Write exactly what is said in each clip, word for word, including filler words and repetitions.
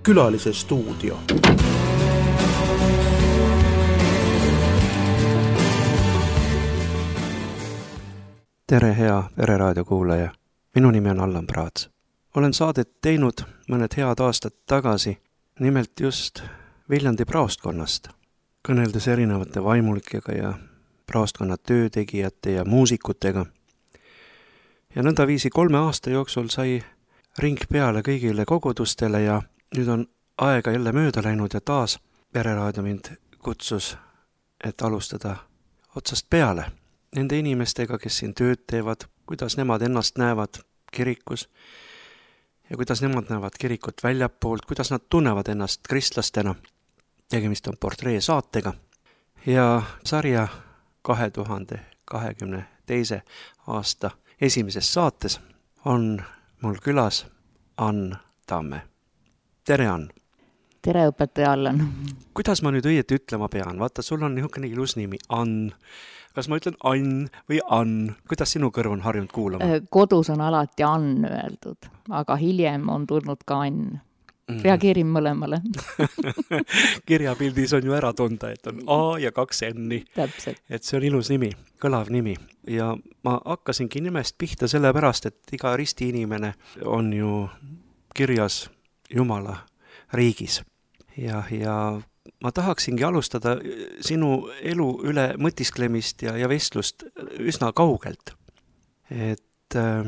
Külalise stuudio. Tere, hea Pereraadio kuulaja. Minu nimi on Allan Praats. Olen saadet teinud mõned head aastad tagasi, nimelt just Viljandi praostkonnast, kõneldes erinevate vaimulikega ja praostkonna töötegijate ja muusikutega. Ja nõndaviisi kolme aasta jooksul sai ring peale kõigile kogudustele ja nüüd on aega jälle mööda läinud ja taas Pereraadio mind kutsus, et alustada otsast peale nende inimestega, kes siin tööd teevad, kuidas nemad ennast näevad kirikus ja kuidas nemad näevad kirikut väljapoolt, kuidas nad tunnevad ennast kristlastena. Tegemist on portree saatega ja sarja kahe tuhande kahekümne teise aasta esimeses saates on mul külas Ann Tamme. Tere, Ann! Tere, õpetaja Allan! Kuidas ma nüüd õieti ütlema pean? Vaata, sul on niisugune ilus nimi, Ann. Kas ma ütlen Ann või Ann? Kuidas sinu kõrv on harjunud kuulama? Kodus on alati Ann öeldud, aga hiljem on tulnud ka Ann. Reageerin mõlemale. Kirjapildis on ju ära tunda, et on A ja kaks N-i. Täpselt. Et see on ilus nimi, kõlav nimi. Ja ma hakkasingi nimest pihta sellepärast, et iga risti inimene on ju kirjas Jumala riigis. Ja, ja ma tahaksingi alustada sinu elu üle mõtisklemist ja, ja vestlust üsna kaugelt. Et äh,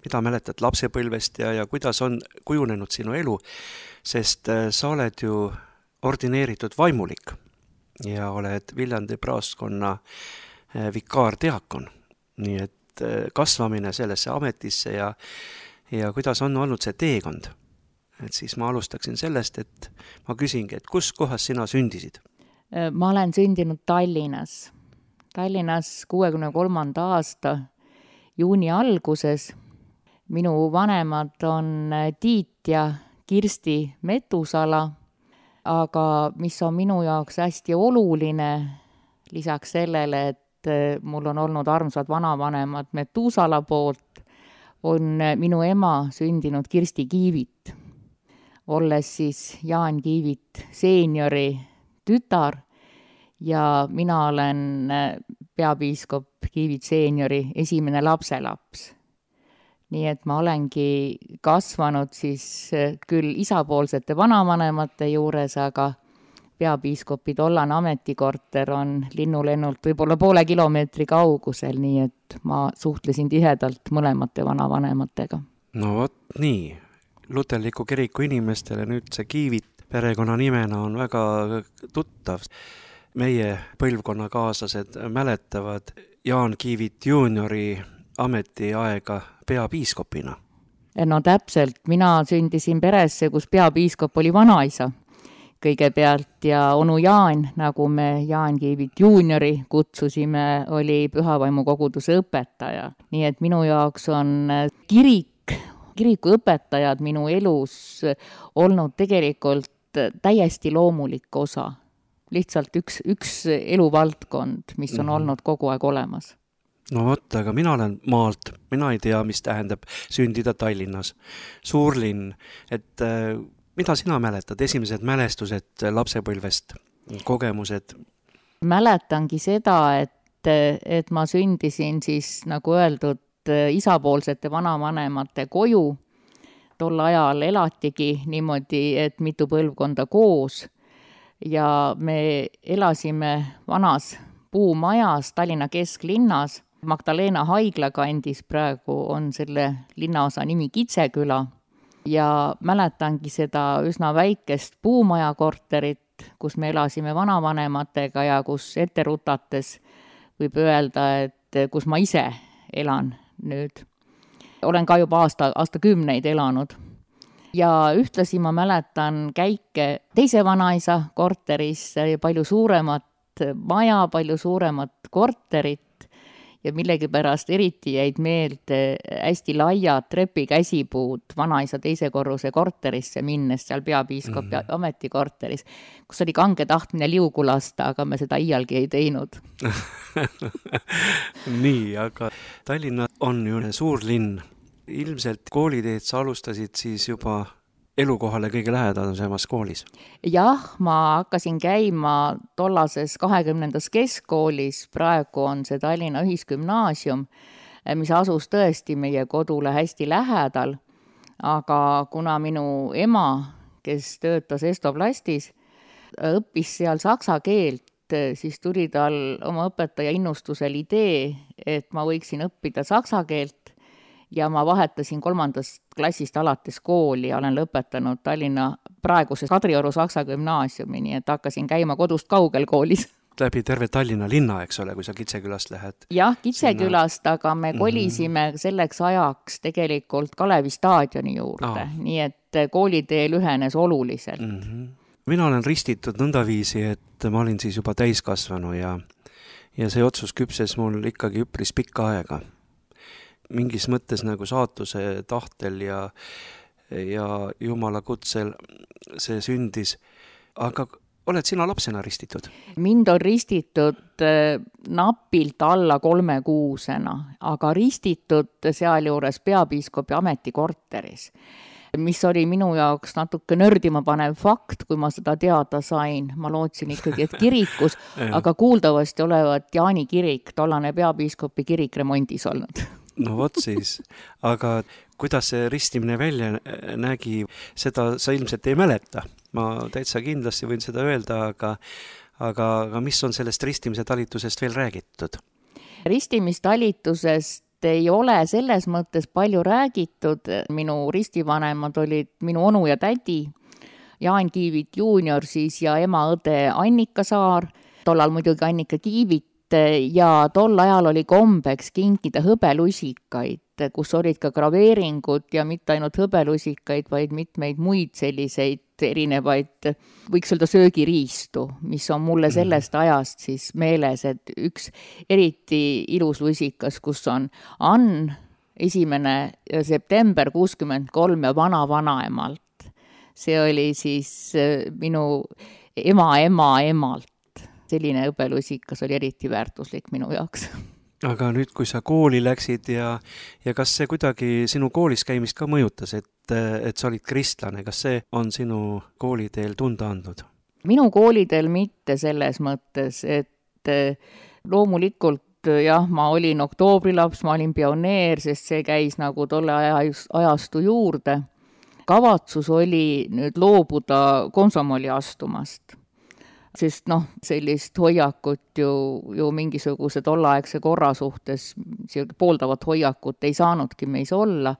mida mäletad lapsepõlvest ja, ja kuidas on kujunenud sinu elu, sest äh, sa oled ju ordineeritud vaimulik ja oled Viljandi praostkonna äh, vikaardiakon. Nii et äh, kasvamine sellesse ametisse ja, ja kuidas on olnud see teekond. Et siis ma alustaksin sellest, et ma küsingi, et kus kohas sina sündisid? Ma olen sündinud Tallinnas. Tallinnas kuuekümne kolmanda aasta juuni alguses. Minu vanemad on Tiit ja Kirsti Metusala, aga mis on minu jaoks hästi oluline, lisaks sellele, et mul on olnud armsad vanavanemad Metusala poolt, on minu ema sündinud Kirsti Kiivit, olles siis Jaan Kiivit seeniori tütar ja mina olen peapiiskop Kiivit seeniori esimene lapselaps. Nii et ma olengi kasvanud siis küll isapoolsete vanavanemate juures, aga peapiiskopi tollane ametikorter on linnulennult võib-olla poole kilomeetri kaugusel, nii et ma suhtlesin tihedalt mõlemate vanavanematega. No vot nii. Luterliku kiriku inimestele nüüd see Kiivit perekonna nimena on väga tuttav. Meie põlvkonnakaaslased mäletavad Jaan Kiivit juuniori ametiaega peapiiskopina. No täpselt, mina sündisin peresse, kus peapiiskop oli vanaisa kõigepealt ja onu Jaan, nagu me Jaan Kiivit juuniori kutsusime, oli Pühavaimu koguduse õpetaja. Nii et minu jaoks on kirik, kiriku õpetajad minu elus olnud tegelikult täiesti loomulik osa. Lihtsalt üks, üks eluvaldkond, mis on mm-hmm. olnud kogu aeg olemas. No vot, aga mina olen maalt. Mina ei tea, mis tähendab sündida Tallinnas. Suurlinn. Et äh, mida sina mäletad? Esimesed mälestused lapsepõlvest, kogemused? Mäletangi seda, et, et ma sündisin siis, nagu öeldud, isapoolsete vanavanemate koju. Tol ajal elatigi niimoodi, et mitu põlvkonda koos ja me elasime vanas puumajas Tallinna kesklinnas. Magdalena haigla kandis praegu on selle linnaosa nimi Kitseküla ja mäletangi seda üsna väikest puumaja korterit, kus me elasime vanavanematega ja kus ette rutates võib öelda, et kus ma ise elan nüüd. Olen ka juba aasta, aastakümneid elanud. Ja ühtlasi ma mäletan käike teise vanaisa korteris, palju suuremat maja, palju suuremat korterit ja millegipärast eriti jäid meelde hästi laiad trepikäsipuud vanaisa teise korruse korterisse minnes, seal peapiiskopi mm-hmm. ametikorteris, kus oli kange tahtmine liugu lasta, aga me seda iialgi ei teinud. Nii, aga Tallinna on ju suur linn. Ilmselt kooliteed sa alustasid siis juba elukohale kõige lähedasemas koolis? Jah, ma hakkasin käima tollases kahekümnendas keskkoolis, praegu on see Tallinna Ühisgümnaasium, mis asus tõesti meie kodule hästi lähedal, aga kuna minu ema, kes töötas Estoplastis, õppis seal saksa keelt, siis tuli tal oma õpetaja innustusel idee, et ma võiksin õppida saksa keelt ja ma vahetasin kolmandast klassist alates kooli ja olen lõpetanud Tallinna praeguses Kadrioru Saksa Gümnaasiumi, nii et hakkasin käima kodust kaugel koolis. Läbi terve Tallinna linna, eks ole, kui sa Kitsekülast lähed? Jah, Kitsekülast, sinna... aga me kolisime mm-hmm. selleks ajaks tegelikult Kalevi staadioni juurde, ah. nii et koolitee lühenes oluliselt. Mm-hmm. Mina olen ristitud nõndaviisi, et ma olin siis juba täiskasvanu ja, ja see otsus küpses mul ikkagi üpris pikka aega. Mingis mõttes nagu saatuse tahtel ja, ja Jumala kutsel see sündis. Aga oled sina lapsena ristitud? Mind on ristitud napilt alla kolme kuusena, aga ristitud sealjuures peapiiskopi ametikorteris, mis oli minu jaoks natuke nördima panev fakt, kui ma seda teada sain. Ma lootsin ikkagi, et kirikus, aga kuuldavasti olevat Jaani kirik, tollane peapiiskopi kirik remondis olnud. No vot siis, aga kuidas see ristimine välja nägi, seda sa ilmselt ei mäleta. Ma täitsa kindlasti võin seda öelda, aga, aga, aga mis on sellest ristimise talitusest veel räägitud? Ristimistalitusest ei ole selles mõttes palju räägitud. Minu ristivanemad olid minu onu ja tädi, Jaan Kiivit juunior siis ja ema õde Annika Saar, tollal muidugi Annika Kiivit, ja tol ajal oli kombeks kinkida hõbelusikaid, kus olid ka graveeringud ja mitte ainult hõbelusikaid, vaid mitmeid muid selliseid erinevaid, võiks öelda söögiriistu, mis on mulle sellest ajast siis meeles, et üks eriti ilus lusikas, kus on Ann esimene september kuuskümmend kolm ja vana vanaemalt. See oli siis minu ema ema emalt. Selline õbelusikas oli eriti väärtuslik minu jaoks. Aga nüüd, kui sa kooli läksid ja, ja kas see kuidagi sinu koolis käimist ka mõjutas, et, et sa olid kristlane, kas see on sinu kooliteel tunda andnud? Minu kooliteel mitte selles mõttes, et loomulikult jah, ma olin oktoobrilaps, ma olin pioneer, sest see käis nagu tolle ajastu juurde. Kavatsus oli nüüd loobuda komsomoli astumast. Sest noh, sellist hoiakut ju, ju mingisuguse tollaegse korra suhtes, pooldavat hoiakut ei saanudki meis olla,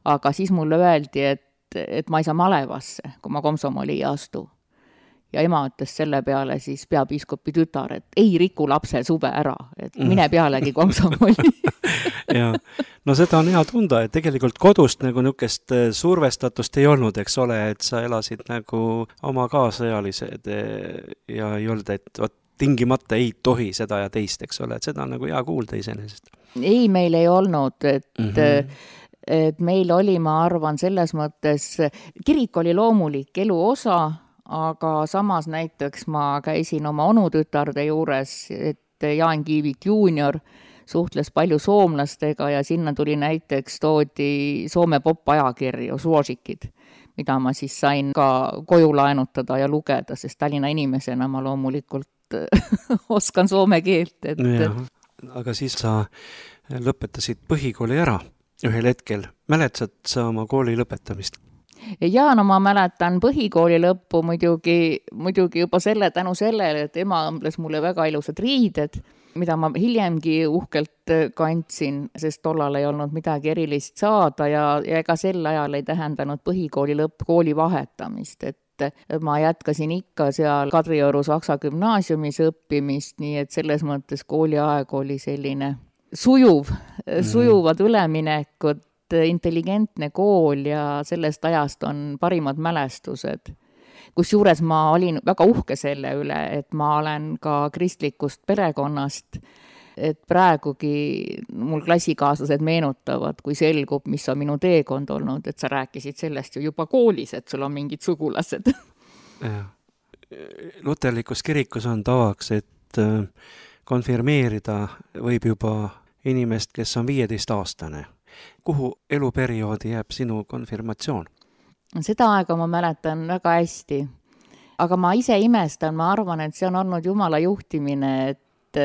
aga siis mulle öeldi, et, et ma ei saa malevasse, kui ma komsomoli ei astu. Ja ema ütles selle peale siis peapiiskopi tütar, et ei riku lapse suve ära, et mine pealegi komsomoli. Ja, no seda on hea tunda, et tegelikult kodust nagu niukest survestatust ei olnud, eks ole, et sa elasid nagu oma kaasajalised ja ei olnud, et ot, tingimata ei tohi seda ja teist, eks ole, et seda on nagu hea kuulda iseenesest. Ei, meil ei olnud, et mm-hmm. et meil oli, ma arvan, selles mõttes, kirik oli loomulik elu osa, aga samas näiteks ma käisin oma onutütarde juures, et Jaan Kiivit juunior suhtles palju soomlastega ja sinna tuli näiteks toodi Soome pop-ajakirju, suosikid, mida ma siis sain ka koju laenutada ja lugeda, sest Tallinna inimesena ma loomulikult oskan soome keelt. Et... Ja, aga siis sa lõpetasid põhikooli ära ühel hetkel. Mäletsad sa oma kooli lõpetamist? Ja no ma mäletan põhikooli lõppu muidugi, muidugi juba selle tänu sellele, et ema õmbles mulle väga ilusad riided, mida ma hiljemgi uhkelt kandsin, sest tollal ei olnud midagi erilist saada ja, ja ega sel ajal ei tähendanud põhikooli lõpp kooli vahetamist, et ma jätkasin ikka seal Kadrioru Saksa Gümnaasiumis õppimist, nii et selles mõttes kooliaeg oli selline sujuv, mm. sujuvad üleminekud, intelligentne kool ja sellest ajast on parimad mälestused. Kusjuures ma olin väga uhke selle üle, et ma olen ka kristlikust perekonnast, et praegugi mul klassikaaslased meenutavad, kui selgub, mis on minu teekond olnud, et sa rääkisid sellest ju juba koolis, et sul on mingid sugulased. Luterlikus kirikus on tavaks, et konfirmeerida võib juba inimest, kes on viieteist aastane. Kuhu eluperioodi jääb sinu konfirmatsioon? Seda aega ma mäletan väga hästi. Aga ma ise imestan, ma arvan, et see on olnud Jumala juhtimine, et,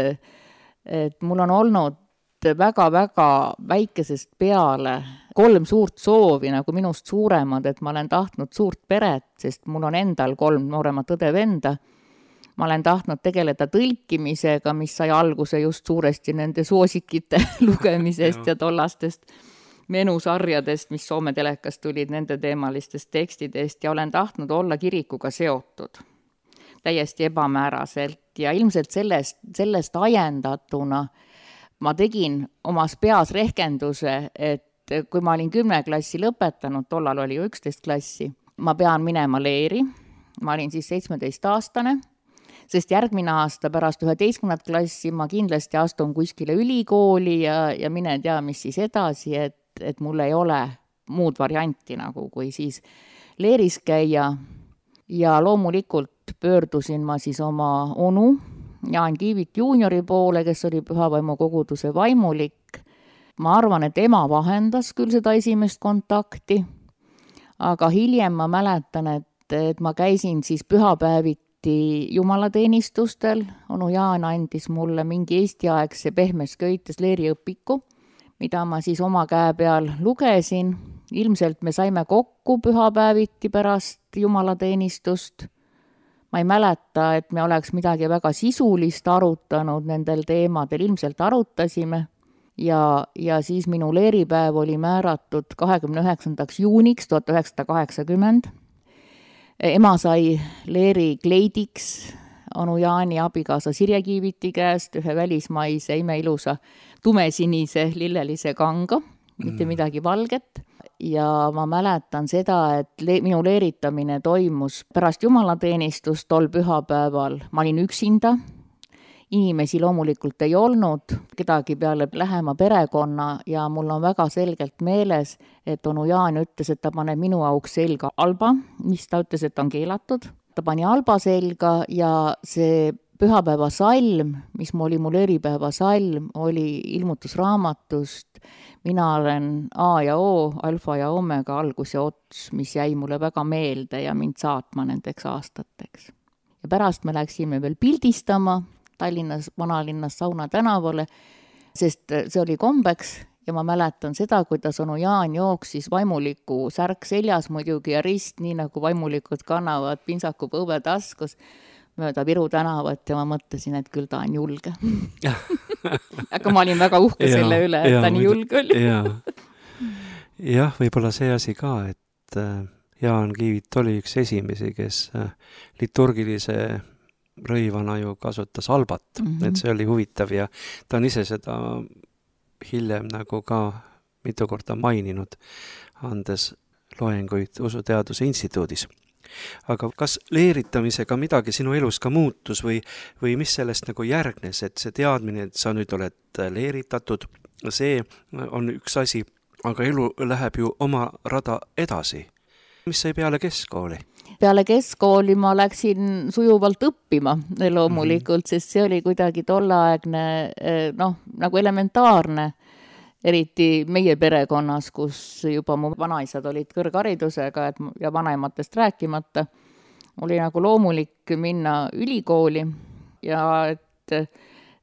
et mul on olnud väga-väga väikesest peale kolm suurt soovi, nagu minust suuremad, et ma olen tahtnud suurt peret, sest mul on endal kolm nooremat õde-venda. Ma olen tahtnud tegeleda tõlkimisega, mis sai alguse just suuresti nende soosikite lugemisest ja tollastest menusarjadest, mis Soome telekast tulid nende teemalistest tekstidest ja olen tahtnud olla kirikuga seotud täiesti ebamääraselt ja ilmselt sellest, sellest ajendatuna ma tegin omas peas rehkenduse, et kui ma olin kümne klassi lõpetanud, tollal oli ju üksteist klassi, ma pean minema leeri, ma olin siis seitsmeteist aastane, sest järgmine aasta pärast üheteistkümnendat klassi ma kindlasti astun kuskile ülikooli ja, ja mine tea, mis siis edasi, et et mul ei ole muud varianti nagu, kui siis leeris käia ja loomulikult pöördusin ma siis oma onu Jaan Kiivit juuniori poole, kes oli Pühavaimu koguduse vaimulik. Ma arvan, et ema vahendas küll seda esimest kontakti, aga hiljem ma mäletan, et, et ma käisin siis pühapäeviti jumalateenistustel, onu Jaan andis mulle mingi eestiaegse pehmes köites leeriõpiku, mida ma siis oma käe peal lugesin. Ilmselt me saime kokku pühapäeviti pärast jumalateenistust. Ma ei mäleta, et me oleks midagi väga sisulist arutanud nendel teemadel, ilmselt arutasime. Ja, ja siis minu leeripäev oli määratud kahekümne üheksandaks juuniks tuhat üheksasada kaheksakümmend. Ema sai leeri kleidiks onu Jaani abikaasa Sirje Kiiviti käest ühe välismaise imeilusa tumesinise lillelise kanga, mitte midagi valget. Ja ma mäletan seda, et le- minu leeritamine toimus pärast jumalateenistust tol pühapäeval. Ma olin üksinda, inimesi loomulikult ei olnud, kedagi peale lähema perekonna ja mul on väga selgelt meeles, et onu Jaan ütles, et ta paneb minu auks selga alba, mis ta ütles, et on keelatud. Ta pani alba selga ja see pühapäeva salm, mis oli mul eripäeva salm, oli ilmutusraamatust. Mina olen A ja O, alfa ja omega, algus ja ots, mis jäi mulle väga meelde ja mind saatma nendeks aastateks. Ja pärast me läksime veel pildistama Tallinnas, vanalinnas Sauna tänavale, sest see oli kombeks ja ma mäletan seda, kuidas onu Jaan jooksis vaimuliku särk seljas muidugi ja rist, nii nagu vaimulikud kannavad pintsaku põue taskus mööda Viru tänavat ja ma mõtlesin, et küll ta on julge. Aga ma olin väga uhke ja, selle üle, et ja, ta nii julge oli. ja. Jah, võib-olla see asi ka, et Jaan Kiivit oli üks esimesi, kes liturgilise rõivana ju kasutas albat, mm-hmm. et see oli huvitav ja ta on ise seda hiljem nagu ka mitu korda maininud, andes loenguid Usuteaduse instituudis. Aga kas leeritamisega midagi sinu elus ka muutus või, või mis sellest nagu järgnes, et see teadmine, et sa nüüd oled leeritatud, see on üks asi, aga elu läheb ju oma rada edasi. Mis sai peale keskkooli? Peale keskkooli ma läksin sujuvalt õppima loomulikult, mm-hmm. sest see oli kuidagi tolleaegne, noh, nagu elementaarne, eriti meie perekonnas, kus juba mu vanaisad olid kõrgharidusega et, ja vanematest rääkimata, oli nagu loomulik minna ülikooli ja et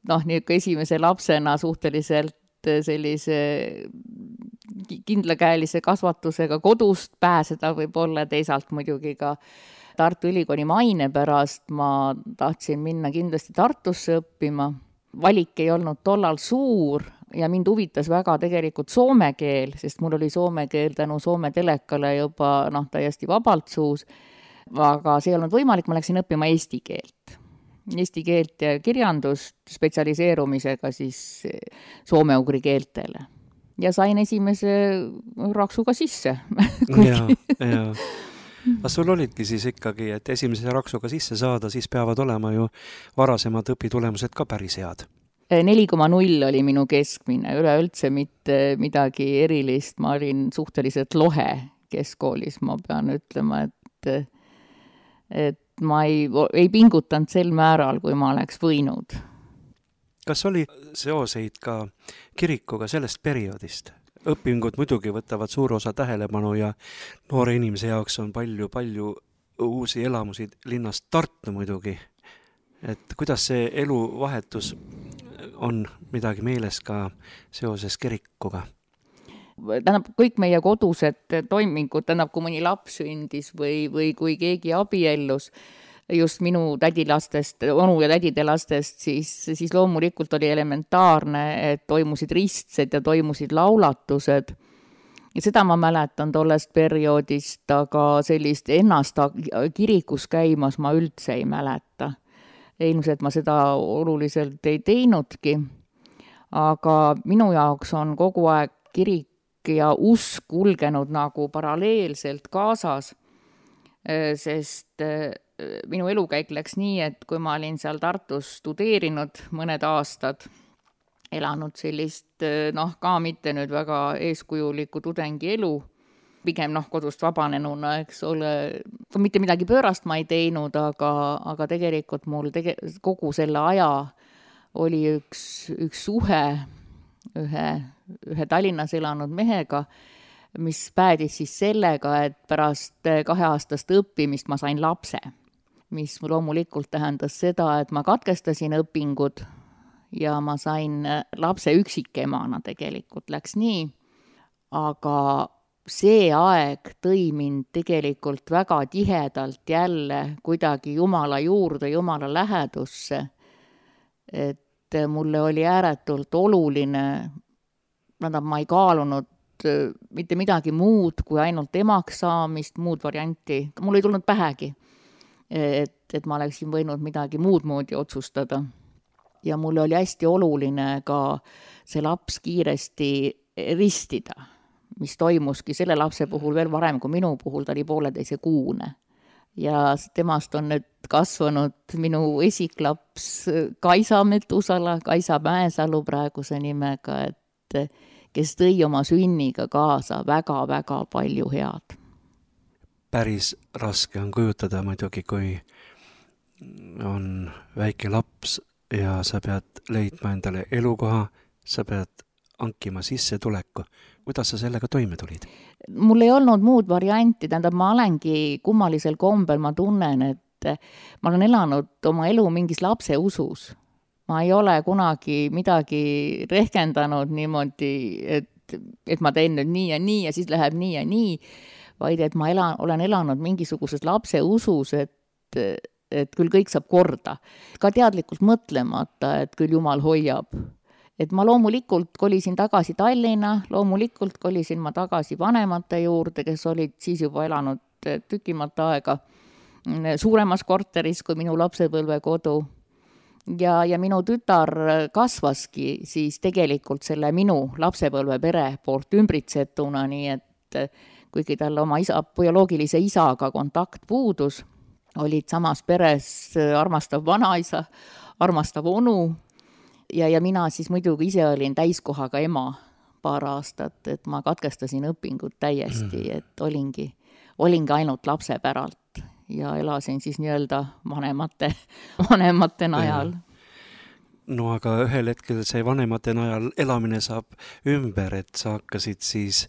noh, nii esimese lapsena suhteliselt sellise kindlakäelise kasvatusega kodust pääseda võib-olla, teisalt muidugi ka Tartu Ülikooli maine pärast ma tahtsin minna kindlasti Tartusse õppima. Valik ei olnud tollal suur ja mind huvitas väga tegelikult soome keel, sest mul oli soome keel tänu Soome telekale juba noh, täiesti vabalt suus, aga see ei olnud võimalik, ma läksin õppima eesti keelt. Eesti keelt ja kirjandust spetsialiseerumisega siis soome-ugri keeltele. Ja sain esimese raksuga sisse. ja, ja. Aga sul olidki siis ikkagi, et esimese raksuga sisse saada, siis peavad olema ju varasemad õpitulemused ka päris head. neli koma null oli minu keskmine, üleüldse mitte midagi erilist, ma olin suhteliselt lohe keskkoolis, ma pean ütlema, et, et ma ei, ei pingutanud sel määral, kui ma oleks võinud. Kas oli seoseid ka kirikuga sellest perioodist? õpingud muidugi võtavad suur osa tähelepanu ja noore inimese jaoks on palju-palju uusi elamusi linnast Tartu muidugi. Et kuidas see eluvahetus on midagi meeles ka seoses kirikuga? Tähendab, kõik meie kodused toimingud, tähendab, kui mõni laps sündis või, või kui keegi abiellus, just minu tädilastest, onu ja tädide lastest, siis, siis loomulikult oli elementaarne, et toimusid ristsed ja toimusid laulatused. Ja seda ma mäletan tollest perioodist, aga sellist ennast kirikus käimas ma üldse ei mäleta. Ilmselt ma seda oluliselt ei teinudki, aga minu jaoks on kogu aeg kirik ja usk kulgenud nagu paralleelselt kaasas, sest minu elukäik läks nii, et kui ma olin seal Tartus studeerinud mõned aastad, elanud sellist, noh, ka mitte nüüd väga eeskujuliku tudengi elu, pigem noh, kodust vabanenuna, eks ole, mitte midagi pöörast ma ei teinud, aga, aga tegelikult mul tege, kogu selle aja oli üks, üks suhe ühe, ühe Tallinnas elanud mehega, mis päädis siis sellega, et pärast kaheaastast õppimist ma sain lapse, mis loomulikult tähendas seda, et ma katkestasin õpingud ja ma sain lapse üksikemana tegelikult, läks nii, aga see aeg tõi mind tegelikult väga tihedalt jälle kuidagi Jumala juurde, Jumala lähedusse, et mulle oli ääretult oluline, tähendab, ma ei kaalunud mitte midagi muud kui ainult emaks saamist, muud varianti. Mul ei tulnud pähegi, et, et ma oleksin võinud midagi muud moodi otsustada. Ja mulle oli hästi oluline ka see laps kiiresti ristida, mis toimuski selle lapse puhul veel varem kui minu puhul, ta oli pooleteise kuune. Ja temast on nüüd kasvanud minu esiklaps Kaisa Metusala, Kaisa Mäesalu praeguse nimega, et kes tõi oma sünniga kaasa väga-väga palju head. Päris raske on kujutada muidugi, kui on väike laps ja sa pead leidma endale elukoha, sa pead hankima sissetuleku. Kuidas sa sellega toime tulid? Mul ei olnud muud varianti, tähendab, ma olengi kummalisel kombel, ma tunnen, et ma olen elanud oma elu mingis lapse usus. Ma ei ole kunagi midagi rehkendanud niimoodi, et, et ma teen nüüd nii ja nii ja siis läheb nii ja nii, vaid et ma elan, olen elanud mingisuguses lapse usus, et, et küll kõik saab korda. Ka teadlikult mõtlemata, et küll Jumal hoiab. Et ma loomulikult kolisin tagasi Tallinna, loomulikult kolisin ma tagasi vanemate juurde, kes olid siis juba elanud tükimata aega suuremas korteris kui minu lapsepõlve kodu. Ja, ja minu tütar kasvaski siis tegelikult selle minu lapsepõlve pere poolt ümbritsetuna, nii et kuigi tal oma isa, bioloogilise isaga kontakt puudus, olid samas peres armastav vanaisa, armastav onu, Ja, ja mina siis muidugi ise olin täiskohaga ema paar aastat, et ma katkestasin õpingud täiesti, et olingi, olingi ainult lapse päralt ja elasin siis nii-öelda vanemate, vanemate najal. No aga ühel hetkel see vanemate najal elamine saab ümber, et sa hakkasid siis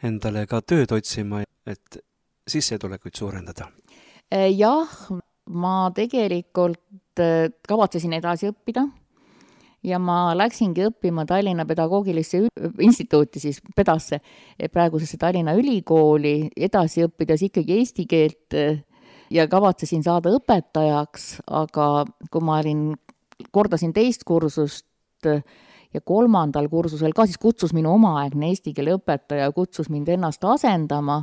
endale ka tööd otsima, et sissetulekuid suurendada. Jah, ma tegelikult kavatsesin edasi õppida. Ja ma läksingi õppima Tallinna pedagoogilisse instituuti, siis pedasse, praegusesse Tallinna ülikooli, edasi õppides ikkagi eesti keelt ja kavatsesin saada õpetajaks, aga kui ma olin, kordasin teist kursust ja kolmandal kursusel ka, siis kutsus minu omaaegne eesti keele õpetaja, kutsus mind ennast asendama,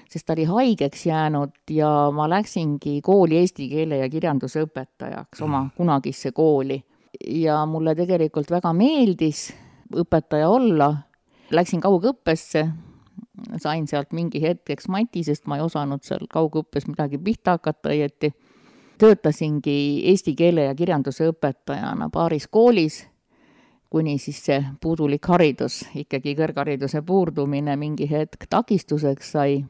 sest ta oli haigeks jäänud ja ma läksingi kooli eesti keele ja kirjanduse õpetajaks, oma kunagisse kooli. Ja mulle tegelikult väga meeldis õpetaja olla. Läksin kaugõppesse, sain sealt mingi hetkeks mati, sest ma ei osanud seal kaugõppes midagi pihta hakata õieti. Töötasingi eesti keele ja kirjanduse õpetajana paaris koolis, kuni siis see puudulik haridus, ikkagi kõrghariduse puurdumine mingi hetk takistuseks sai.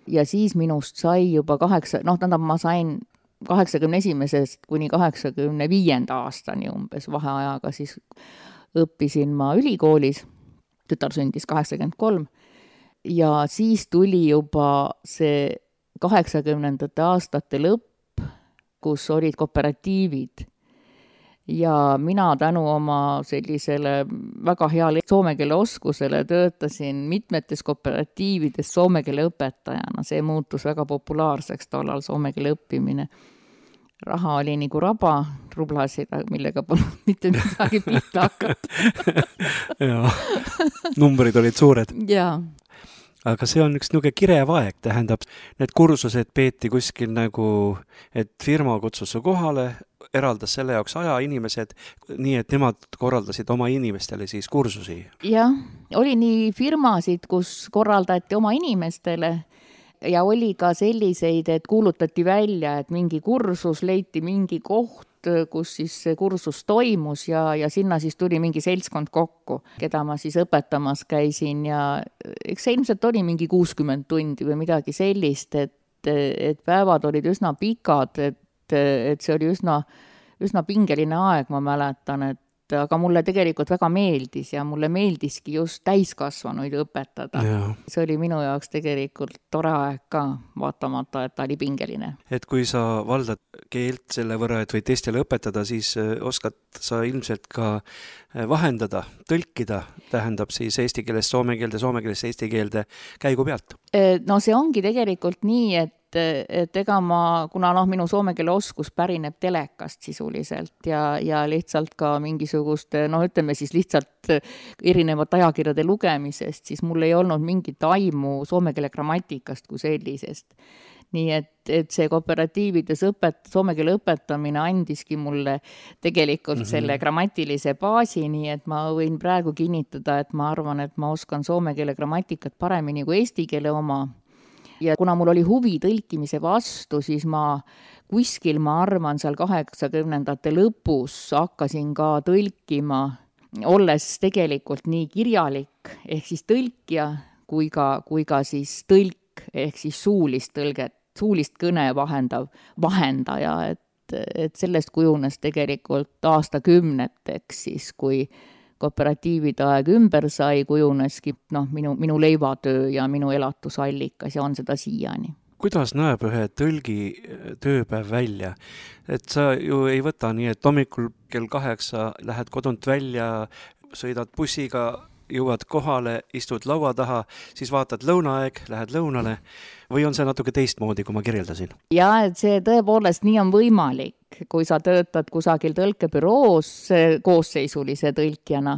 Ja siis minust sai juba kaheksa, noh, tähendab, ma sain kaheksakümne esimesest kuni kaheksakümne viienda aastani umbes vaheajaga, siis õppisin ma ülikoolis, tütar sündis kaheksakümmend kolm ja siis tuli juba see kaheksakümnendate aastate lõpp, kus olid kooperatiivid. Ja mina tänu oma sellisele väga heale soome keele oskusele töötasin mitmetes kooperatiivides soome keele õpetajana. See muutus väga populaarseks tollal soome keele õppimine. Raha oli nagu raba, rublasid, millega polnud mitte midagi pihta hakata. Jaa, numbrid olid suured. Jaa. Aga see on üks niuke kirev aeg, tähendab, need kursused peeti kuskil nagu, et firma kutsus su kohale, eraldas selle jaoks aja inimesed, nii et nemad korraldasid oma inimestele siis kursusi. Jah, oli nii firmasid, kus korraldati oma inimestele ja oli ka selliseid, et kuulutati välja, et mingi kursus leiti mingi koht, kus siis see kursus toimus ja, ja sinna siis tuli mingi seltskond kokku, keda ma siis õpetamas käisin ja eks see ilmselt oli mingi kuuskümmend tundi või midagi sellist, et, et päevad olid üsna pikad, et, et see oli üsna, üsna pingeline aeg, ma mäletan, et aga mulle tegelikult väga meeldis ja mulle meeldiski just täiskasvanuid õpetada. Ja. See oli minu jaoks tegelikult tore aeg ka, vaatamata, et ta oli pingeline. Et kui sa valdad keelt selle võrra, et võid teistele õpetada, siis oskad sa ilmselt ka vahendada, tõlkida, tähendab siis eesti keelest soome keelde, soome keelest eesti keelde käigu pealt. No see ongi tegelikult nii, et et ega ma, kuna noh, minu soome keele oskus pärineb telekast sisuliselt ja, ja lihtsalt ka mingisuguste, noh ütleme siis lihtsalt erinevat ajakirjade lugemisest, siis mul ei olnud mingit aimu soome keele grammatikast kui sellisest. Nii et, et see kooperatiivides õpet, soome keele õpetamine andiski mulle tegelikult mm-hmm. selle grammatilise baasi, nii et ma võin praegu kinnitada, et ma arvan, et ma oskan soome keele grammatikat paremini kui eesti keele oma. Ja kuna mul oli huvi tõlkimise vastu, siis ma kuskil, ma arvan, seal kaheksakümnendate lõpus hakkasin ka tõlkima, olles tegelikult nii kirjalik, ehk siis tõlkija, kui ka, kui ka siis tõlk, ehk siis suulist tõlget, suulist kõne vahendav, vahendaja, et, et sellest kujunes tegelikult aastakümneteks siis, kui kooperatiivide aeg ümber sai, kujuneski no, minu, minu leivatöö ja minu elatusallikas ja on seda siiani. Kuidas näeb ühe tõlgi tööpäev välja? Et sa ju ei võta nii, et hommikul kell kaheksa lähed kodunt välja, sõidad bussiga, jõuad kohale, istud laua taha, siis vaatad lõunaaeg, lähed lõunale või on see natuke teistmoodi, kui ma kirjeldasin? Ja, et see tõepoolest nii on võimalik, kui sa töötad kusagil tõlkebüroos koosseisulise tõlkjana.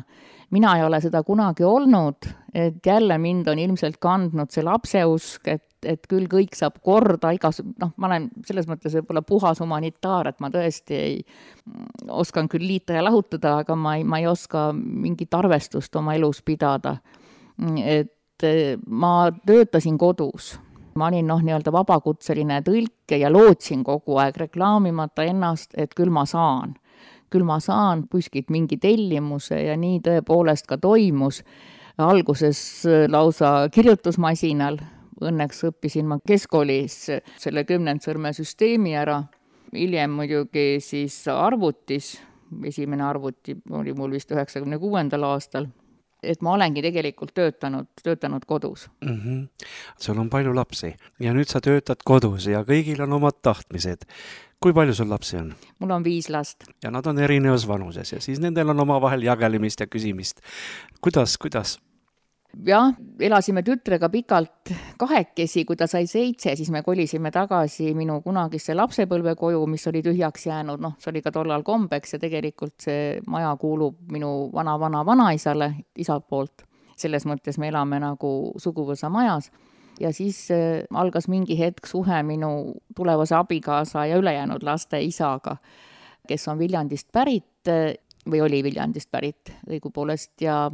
Mina ei ole seda kunagi olnud, et jälle mind on ilmselt kandnud see lapseusk, et, et küll kõik saab korda, igas, noh, ma olen selles mõttes võib-olla puhas humanitaar, et ma tõesti ei oskan küll liita ja lahutada, aga ma ei, ma ei oska mingit arvestust oma elus pidada. Et ma töötasin kodus. Ma olin noh, nii-öelda vabakutseline tõlke ja lootsin kogu aeg reklaamimata ennast, et küll ma saan. Küll ma saan kuskilt mingi tellimuse ja nii tõepoolest ka toimus. Alguses lausa kirjutusmasinal, õnneks õppisin ma keskkoolis selle kümnendsõrme süsteemi ära. Hiljem muidugi siis arvutis, esimene arvuti oli mul vist üheksakümne kuuendal aastal. Et ma olengi tegelikult töötanud, töötanud kodus. Mm-hmm. Sul on palju lapsi ja nüüd sa töötad kodus ja kõigil on omad tahtmised. Kui palju sul lapsi on? Mul on viis last. Ja nad on erinevas vanuses ja siis nendel on oma vahel jagelemist ja küsimist. Kuidas, kuidas? Jah, elasime tütrega pikalt kahekesi, kui ta sai seitse, siis me kolisime tagasi minu kunagisse lapsepõlvekoju, mis oli tühjaks jäänud, noh, see oli ka tollal kombeks ja tegelikult see maja kuulub minu vana-vana-vanaisale isa poolt. Selles mõttes me elame nagu suguvõsa majas ja siis algas mingi hetk suhe minu tulevase abikaasa ja ülejäänud laste isaga, kes on Viljandist pärit või oli Viljandist pärit õigupoolest ja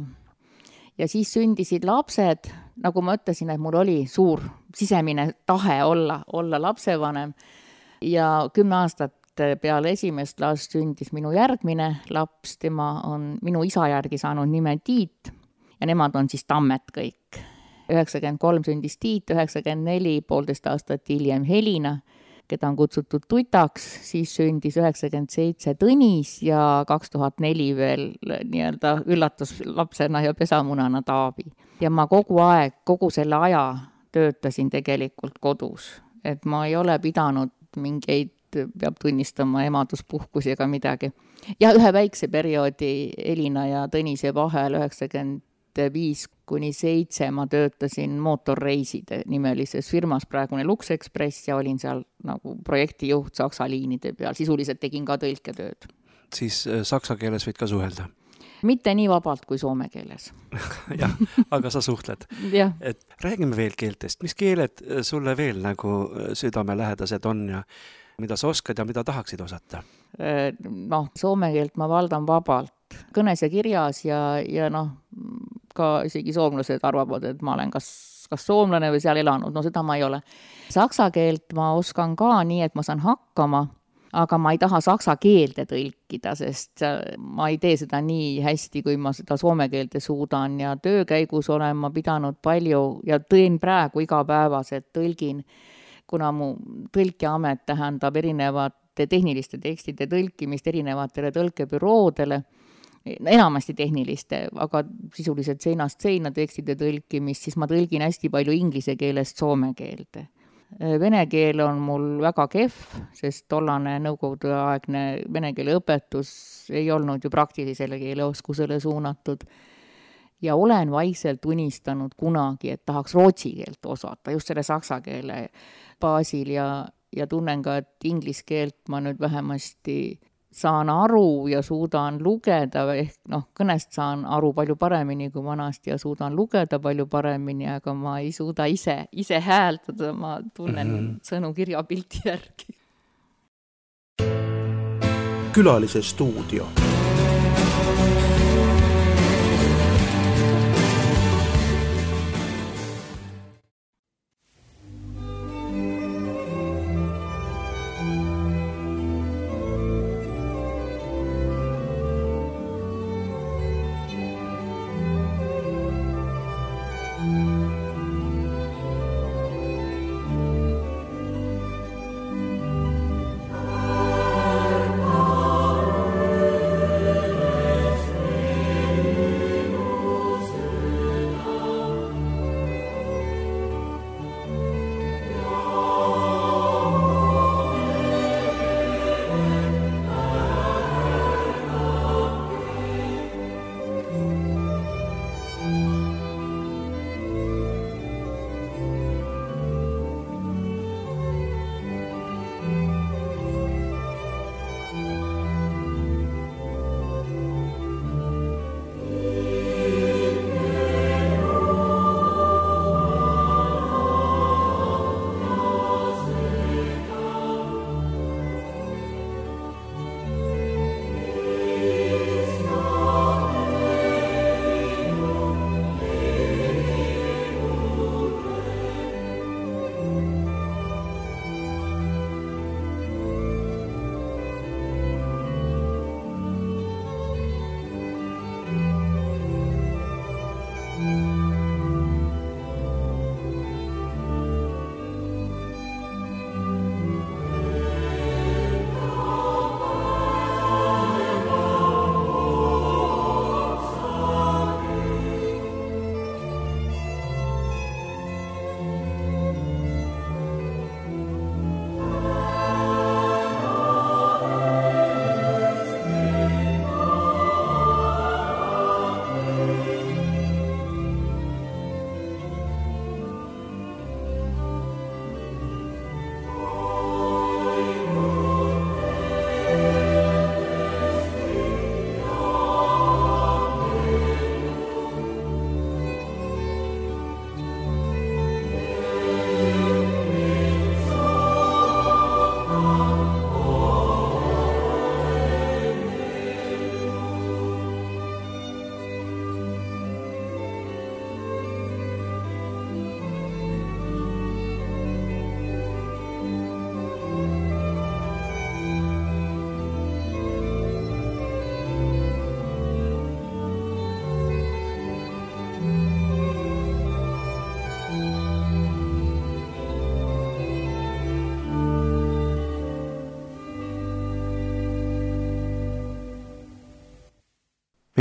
Ja siis sündisid lapsed, nagu ma ütlesin, et mul oli suur sisemine tahe olla, olla lapsevanem. Ja kümme aastat peale esimest last sündis minu järgmine laps, tema on minu isa järgi saanud nime Tiit ja nemad on siis Tammet kõik. üheksakümmend kolm sündis Tiit, üheksakümmend neli, poolteist aastat hiljem Helina, keda on kutsutud tutaks, siis sündis üheksakümmend seitse Tõnis ja kaks tuhat neli veel nii-öelda üllatuslapsena ja pesamunana Taavi. Ja ma kogu aeg, kogu selle aja töötasin tegelikult kodus, et ma ei ole pidanud mingeid, peab tunnistama, emaduspuhkusi ega midagi. Ja ühe väikse perioodi Elina ja Tõnise vahel üheksakümmend viis kuni seitse ma töötasin mootorreiside nimelises firmas, praegune Lux Express, ja olin seal nagu projektijuht Saksa liinide peal, sisuliselt tegin ka tõlketööd. Siis saksa keeles võid ka suhelda? Mitte nii vabalt kui soome keeles. Jah, aga sa suhtled. Jah. Et räägime veel keeltest. Mis keeled sulle veel nagu südamelähedased on ja mida sa oskad ja mida tahaksid osata? Noh, soome keelt ma valdan vabalt. Kõnes ja kirjas ja, ja noh, ka isegi soomlased arvavad, et ma olen kas, kas soomlane või seal elanud. No seda ma ei ole. Saksa keelt ma oskan ka nii, et ma saan hakkama, aga ma ei taha saksa keelde tõlkida, sest ma ei tee seda nii hästi, kui ma seda soome keelde suudan, ja töö käigus olen ma pidanud palju ja tõin praegu igapäevaselt tõlgin, kuna mu tõlkiamet tähendab erinevate tehniliste tekstide tõlkimist erinevatele tõlkebüroodele, enamasti tehniliste, aga sisuliselt seinast seina tekstide tõlkimist, siis ma tõlgin hästi palju inglise keelest soome keelde. Vene keel on mul väga kehv, sest tollane nõukogudeaegne vene keele õpetus ei olnud ju praktilisele keeleoskusele suunatud. Ja olen vaikselt unistanud kunagi, et tahaks rootsi keelt osata, just selle saksa keele baasil, ja, ja tunnen ka, et inglise keelt ma nüüd vähemasti saan aru ja suudan lugeda, ehk noh, kõnest saan aru palju paremini kui vanasti ja suudan lugeda palju paremini, aga ma ei suuda ise, ise hääldada, ma tunnen mm-hmm. sõnu kirjapilti järgi. Külalise stuudio.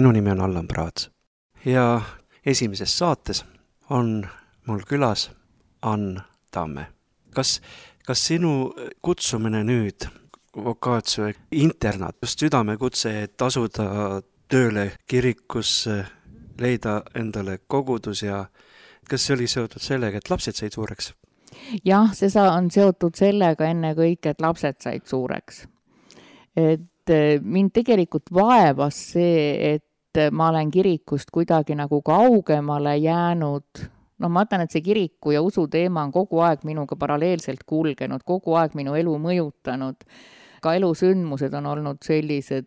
minu nimi on Allan Praats ja esimeses saates on mul külas Ann Tamme. Kas, kas sinu kutsumine nüüd Vocatio internaat, just südamekutse, et asuda tööle kirikusse, leida endale kogudus ja kas see oli seotud sellega, et lapsed said suureks? Jah, see on seotud sellega enne kõik, et lapsed said suureks. Et mind tegelikult vaevas see, et ma olen kirikust kuidagi nagu kaugemale jäänud. No ma mõtlen, et see kiriku ja usu teema on kogu aeg minuga paralleelselt kulgenud, kogu aeg minu elu mõjutanud. Ka elusündmused on olnud sellised,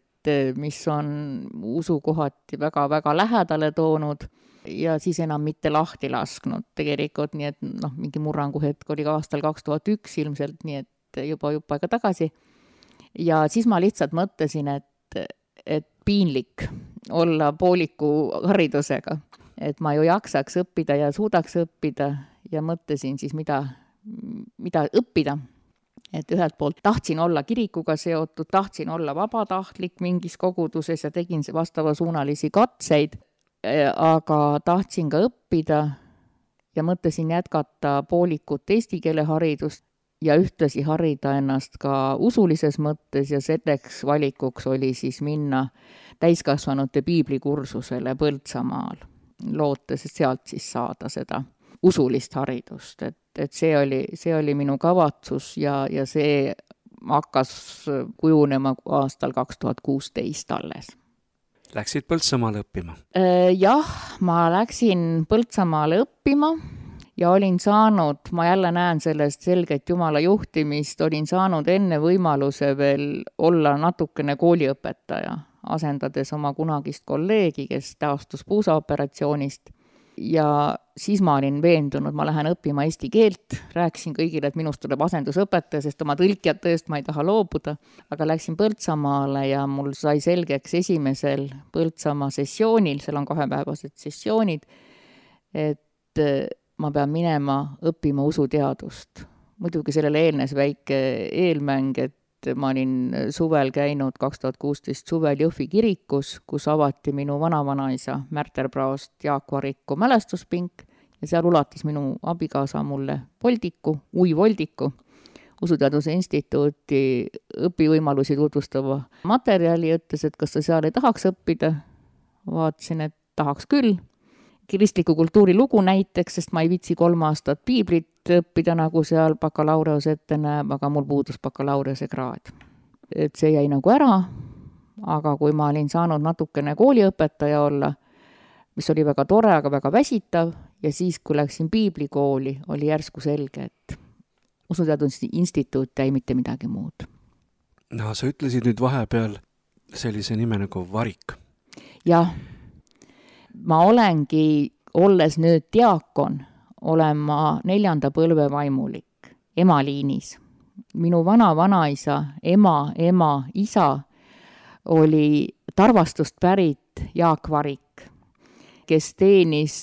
mis on usukohati väga-väga lähedale toonud ja siis enam mitte lahti lasknud tegelikult, nii et noh, mingi murrangu hetk oli ka aastal kaks tuhat üks ilmselt, nii et juba juba aega tagasi. Ja siis ma lihtsalt mõtlesin, et, et piinlik olla pooliku haridusega, et ma ju jaksaks õppida ja suudaks õppida ja mõtlesin siis, mida, mida õppida. Et ühelt poolt tahtsin olla kirikuga seotud, tahtsin olla vabatahtlik mingis koguduses ja tegin vastava suunalisi katseid, aga tahtsin ka õppida ja mõtlesin jätkata poolikut eesti keele haridust ja ühtlasi harida ennast ka usulises mõttes ja selleks valikuks oli siis minna täiskasvanute piiblikursusele Põltsamaal, lootes sealt siis saada seda usulist haridust, et, et see oli, see oli minu kavatsus ja, ja see hakkas kujunema aastal kaks tuhat kuusteist alles. Läksid Põltsamaale õppima? Jah, ma läksin Põltsamaale õppima ja olin saanud, ma jälle näen sellest selget Jumala juhtimist, olin saanud enne võimaluse veel olla natukene kooliõpetaja, asendades oma kunagist kolleegi, kes taastus puusaoperatsioonist. Ja siis ma olin veendunud, ma lähen õppima eesti keelt, rääkisin kõigile, et minust tuleb asendusõpetaja, sest oma tõlkijat tõest ma ei taha loobuda, aga läksin Põltsamaale ja mul sai selgeks esimesel Põltsamaa sessioonil, seal on kahepäevased sessioonid, et ma pean minema õppima usuteadust. Muidugi sellele eelnes väike eelmäng, et ma olin suvel käinud kaks tuhat kuusteist suvel Jõhvi kirikus, kus avati minu vanavanaisa Märter Praost Jaak Variku mälestuspink ja seal ulatas minu abikaasa mulle voldiku, ui voldiku, Usuteaduse Instituuti õpivõimalusi tutvustava materjali, ütles, et kas sa seal ei tahaks õppida. Vaatasin, et tahaks küll. Kristliku kultuuri lugu näiteks, sest ma ei vitsi kolm aastat piiblit õppida, nagu seal bakalaureus ette näeb, aga mul puudus bakalaureuse kraad. Et see jäi nagu ära, aga kui ma olin saanud natukene kooliõpetaja olla, mis oli väga tore, aga väga väsitav, ja siis, kui läksin piiblikooli, oli järsku selge, et Usuteaduse Instituut jäi mitte midagi muud. No, sa ütlesid nüüd vahepeal sellise nime nagu Varik. Jah. Ma olengi, olles nüüd diakon, olen ma neljanda põlve vaimulik, emaliinis. Minu vana vanaisa, ema, ema, isa oli Tarvastust pärit Jaak Varik, kes teenis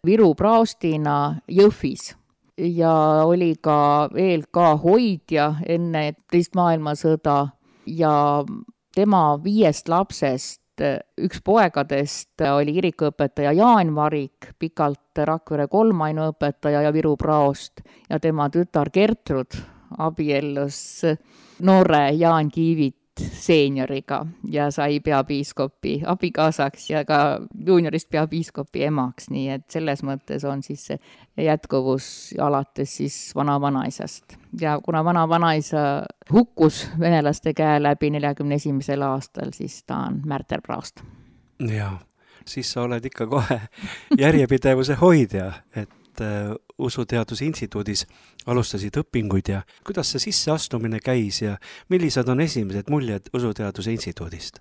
Viru praostina Jõhvis ja oli ka veel ka hoidja enne teist maailmasõda ja tema viiest lapsest üks poegadest oli kirikuõpetaja Jaan Varik, pikalt Rakvere kolm ainuõpetaja ja Viru praost ja tema tütar Gertrud abiellus noore Jaan Kiivit seenioriga ja sai peapiiskopi abikaasaks ja ka juuniorist peapiiskopi emaks, nii et selles mõttes on siis see jätkuvus alates siis vana-vanaisast. Ja kuna vana-vanaisa hukkus venelaste käe läbi neljakümne esimesel aastal, siis ta on Märter Praost. Jaa, siis sa oled ikka kohe järjepidevuse hoidja, et Usuteaduse Instituudis alustasid õpinguid ja kuidas see sisseastumine käis ja millised on esimesed muljed Usuteaduse Instituudist?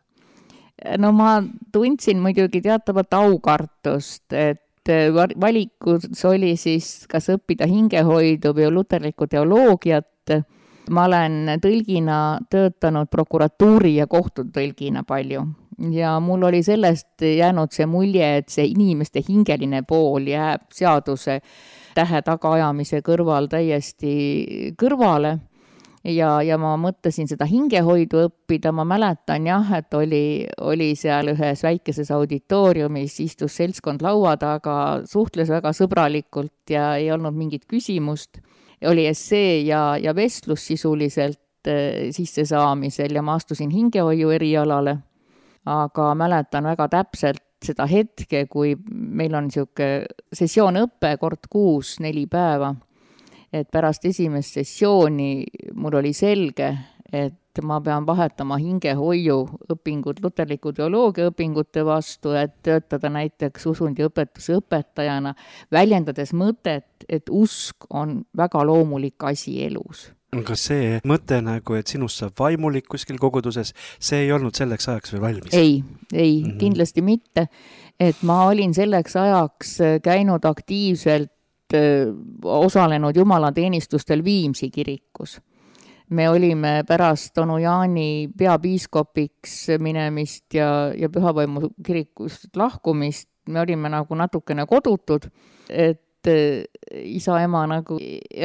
No ma tundsin muidugi teatavat aukartust, et valikus oli siis kas õppida hingehoidu või luterlikku teoloogiat. Ma olen tõlgina töötanud prokuratuuri ja kohtutõlgina palju. Ja mul oli sellest jäänud see mulje, et see inimeste hingeline pool jääb seaduse tähe tagaajamise kõrval täiesti kõrvale. ja, ja ma mõtlesin seda hingehoidu õppida, ma mäletan jah, et oli, oli seal ühes väikeses auditooriumis, istus seltskond laua taga, suhtles väga sõbralikult ja ei olnud mingit küsimust. Oli essee ja, ja vestlus sisuliselt äh, sissesaamisel ja ma astusin hingehoiu erialale, aga mäletan väga täpselt seda hetke, kui meil on niisugune sessioonõppe kord kuus, neli päeva, et pärast esimest sessiooni mul oli selge, et ma pean vahetama hingehoiu õpingud, luterliku teoloogia õpingute vastu, et töötada näiteks usundiõpetuse õpetajana, väljendades mõtet, et usk on väga loomulik asi elus. Kas see mõte nagu, et sinust saab vaimulik kuskil koguduses, see ei olnud selleks ajaks veel valmis? Ei, ei mm-hmm. kindlasti mitte. Et ma olin selleks ajaks käinud aktiivselt osalenud jumalateenistustel Viimsi kirikus. Me olime pärast onu Jaani peapiiskopiks minemist ja, ja Pühavaimu kirikust lahkumist, me olime nagu natukene kodutud, et isa, ema nagu,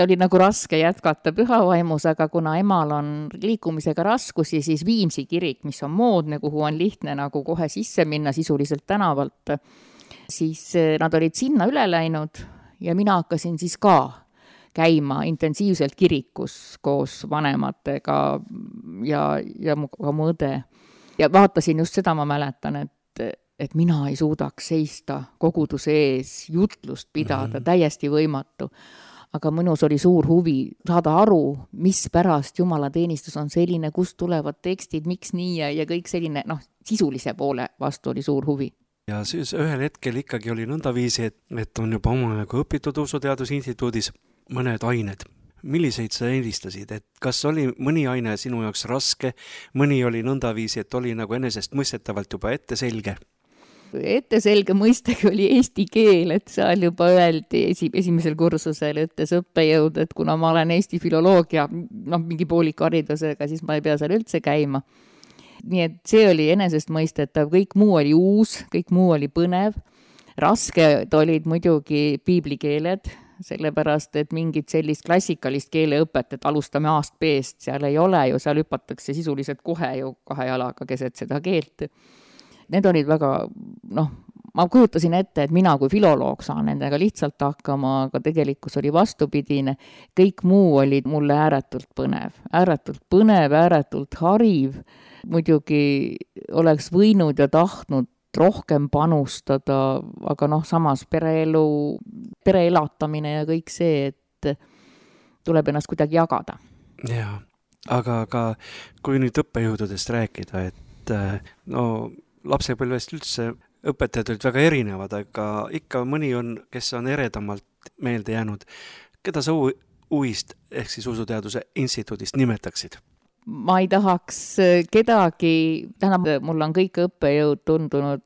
oli nagu raske jätkata Pühavaimus, aga kuna emal on liikumisega raskusi, siis Viimsi kirik, mis on moodne, kuhu on lihtne nagu kohe sisse minna sisuliselt tänavalt, siis nad olid sinna üle läinud ja mina hakkasin siis ka käima intensiivselt kirikus koos vanematega ja, ja ka mu õde. Ja vaatasin just seda, ma mäletan, et, et mina ei suudaks seista koguduse ees, jutlust pidada, mm-hmm. täiesti võimatu. Aga minus oli suur huvi saada aru, mis pärast jumalateenistus on selline, kust tulevad tekstid, miks nii ja, ja kõik selline, noh, sisulise poole vastu oli suur huvi. Ja siis ühel hetkel ikkagi oli nõndaviisi, et, et on juba omajagu õpitud Usuteaduse Instituudis mõned ained. Milliseid sa eelistasid? Et kas oli mõni aine sinu jaoks raske, mõni oli nõndaviisi, et oli nagu enesest mõistetavalt juba ette selge? Ette selge mõistagi oli eesti keel, et seal juba öeldi esi, esimesel kursusel, ütles õppejõud, et kuna ma olen eesti filoloogia, noh, mingi poolikaridusega, siis ma ei pea seal üldse käima. Nii et see oli enesest mõistetav, kõik muu oli uus, kõik muu oli põnev. Rasked olid muidugi piiblikeeled, sellepärast, et mingit sellist klassikalist keeleõpet, et alustame A-st B-st, seal ei ole ju, seal hüpatakse sisuliselt kohe ju kahe jalaga keset seda keelt. Need olid väga, noh, ma kujutasin ette, et mina kui filoloog saan nendega lihtsalt hakkama, aga tegelikkus oli vastupidine. Kõik muu oli mulle ääretult põnev, ääretult põnev, ääretult hariv. Muidugi oleks võinud ja tahtnud rohkem panustada, aga noh, samas pereelu, pereelatamine ja kõik see, et tuleb ennast kuidagi jagada. Jaa, aga ka kui nüüd õppejõududest rääkida, et no lapsepõlvest üldse õpetajad olid väga erinevad, aga ikka mõni on, kes on eredamalt meelde jäänud. Keda sa UIst ehk siis Usuteaduse Instituudist nimetaksid? Ma ei tahaks kedagi, tähendab, mul on kõik õppejõud tundunud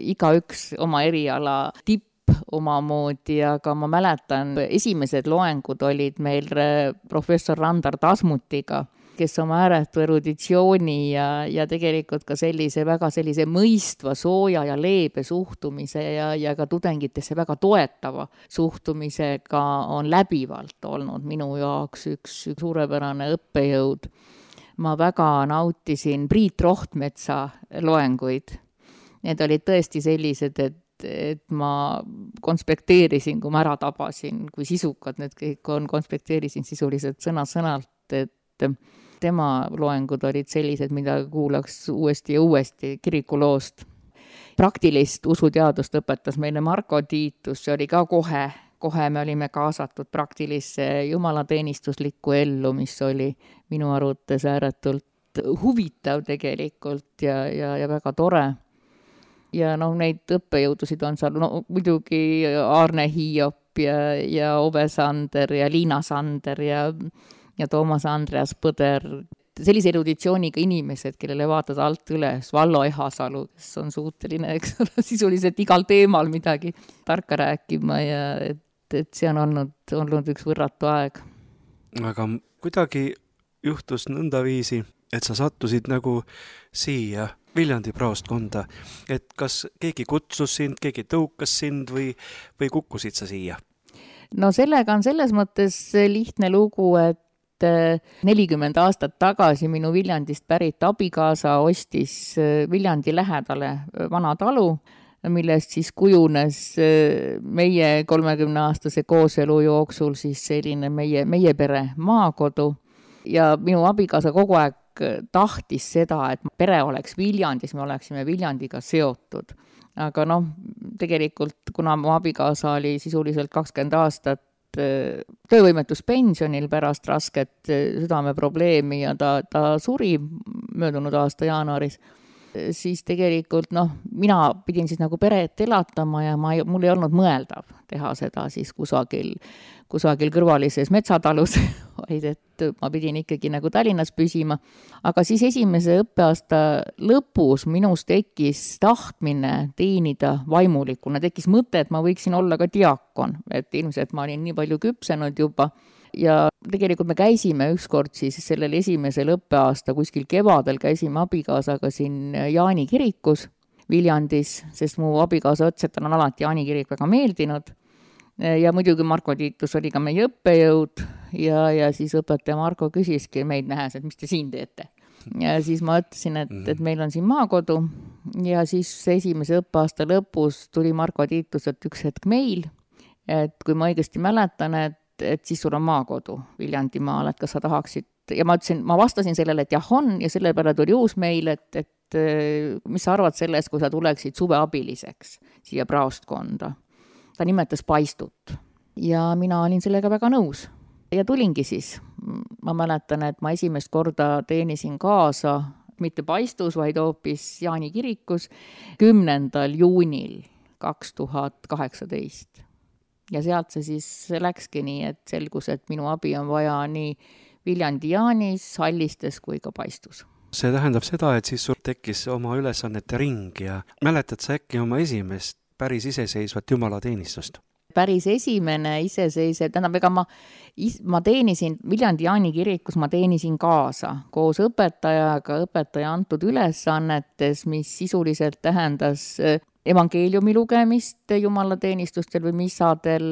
igaüks oma eriala tipp omamoodi, aga ma mäletan, esimesed loengud olid meil professor Randar Tasmutiga, kes oma ääretu eruditsiooni ja, ja tegelikult ka sellise väga sellise mõistva, sooja ja leebe suhtumise ja, ja ka tudengitesse väga toetava suhtumisega on läbivalt olnud minu jaoks üks, üks suurepärane õppejõud. Ma väga nautisin Priit Rohtmetsa loenguid. Need olid tõesti sellised, et, et ma konspekteerisin, kui ma ära tabasin, kui sisukad need kõik on, konspekteerisin sisuliselt sõna-sõnalt, et tema loengud olid sellised, mida kuulaks uuesti ja uuesti kirikuloost. Praktilist usuteadust õpetas meile Marko Tiitus, see oli ka kohe, kohe me olime kaasatud praktilisse jumalateenistuslikku ellu, mis oli minu arvates ääretult huvitav tegelikult ja, ja, ja väga tore. Ja noh, neid õppejõudusid on seal, no muidugi Arne Hiiop ja, ja Ove Sander ja Liina Sander ja ja Toomas Andreas Põder, sellise eruditsiooniga inimesed, kellele vaatad alt üles, Vallo Ehasalu, kes on suuteline, eks ole, sisuliselt igal teemal midagi tarka rääkima ja et, et see on olnud, olnud üks võrratu aeg. Aga kuidagi juhtus nõndaviisi, et sa sattusid nagu siia Viljandi praostkonda, et kas keegi kutsus sind, keegi tõukas sind või, või kukkusid sa siia? No sellega on selles mõttes lihtne lugu, et nelikümmend aastat tagasi minu Viljandist pärit abikaasa ostis Viljandi lähedale vana talu, millest siis kujunes meie kolmekümne-aastase kooselu jooksul siis selline meie, meie pere maakodu. Ja minu abikaasa kogu aeg tahtis seda, et pere oleks Viljandis, me oleksime Viljandiga seotud. Aga noh, tegelikult, kuna mu abikaasa oli sisuliselt kakskümmend aastat töövõimetuspensionil pärast rasket südameprobleemi ja ta, ta suri möödunud aasta jaanuaris, siis tegelikult noh, mina pidin siis nagu peret elatama ja ma, mul ei olnud mõeldav teha seda siis kusagil, kusagil kõrvalises metsatalus, vaid et ma pidin ikkagi nagu Tallinnas püsima. Aga siis esimese õppeaasta lõpus minus tekkis tahtmine teenida vaimulikuna, tekkis mõte, et ma võiksin olla ka diakon, et ilmselt ma olin nii palju küpsenud juba. Ja tegelikult me käisime ükskord siis sellel esimesel õppeaasta kuskil kevadel käisime abikaasaga siin Jaani kirikus Viljandis, sest mu abikaasa ütles, et tal on alati Jaani kirik väga meeldinud. Ja muidugi Marko Tiitus oli ka meie õppejõud ja, ja siis õpetaja Marko küsiski meid nähes, et mis te siin teete. Ja siis ma ütlesin, et, et meil on siin maakodu ja siis esimese õppeaasta lõpus tuli Marko Tiituselt üks hetk meil, et kui ma õigesti mäletan, et et siis sul on maakodu Viljandimaal, et kas sa tahaksid, ja ma ütlesin, ma vastasin sellele, et jah on, ja selle peale tuli uus meil, et, et mis sa arvad sellest, kui sa tuleksid suveabiliseks siia praostkonda. Ta nimetas Paistut ja mina olin sellega väga nõus ja tulingi siis. Ma mäletan, et ma esimest korda teenisin kaasa, mitte Paistus, vaid hoopis Jaani kirikus kümnendal juunil kaks tuhat kaheksateist. Ja sealt see siis läkski nii, et selgus, et minu abi on vaja nii Viljandi Jaanis, Hallistes kui ka Paistus. See tähendab seda, et siis sul tekkis oma ülesannete ring ja mäletad sa äkki oma esimest päris iseseisvat jumalateenistust? Päris esimene iseseisev, tähendab, ega ma, ma teenisin Viljandi Jaani kirikus, ma teenisin kaasa koos õpetajaga, õpetaja antud ülesannetes, mis sisuliselt tähendas evangeeliumi lugemist jumalateenistustel või missadel,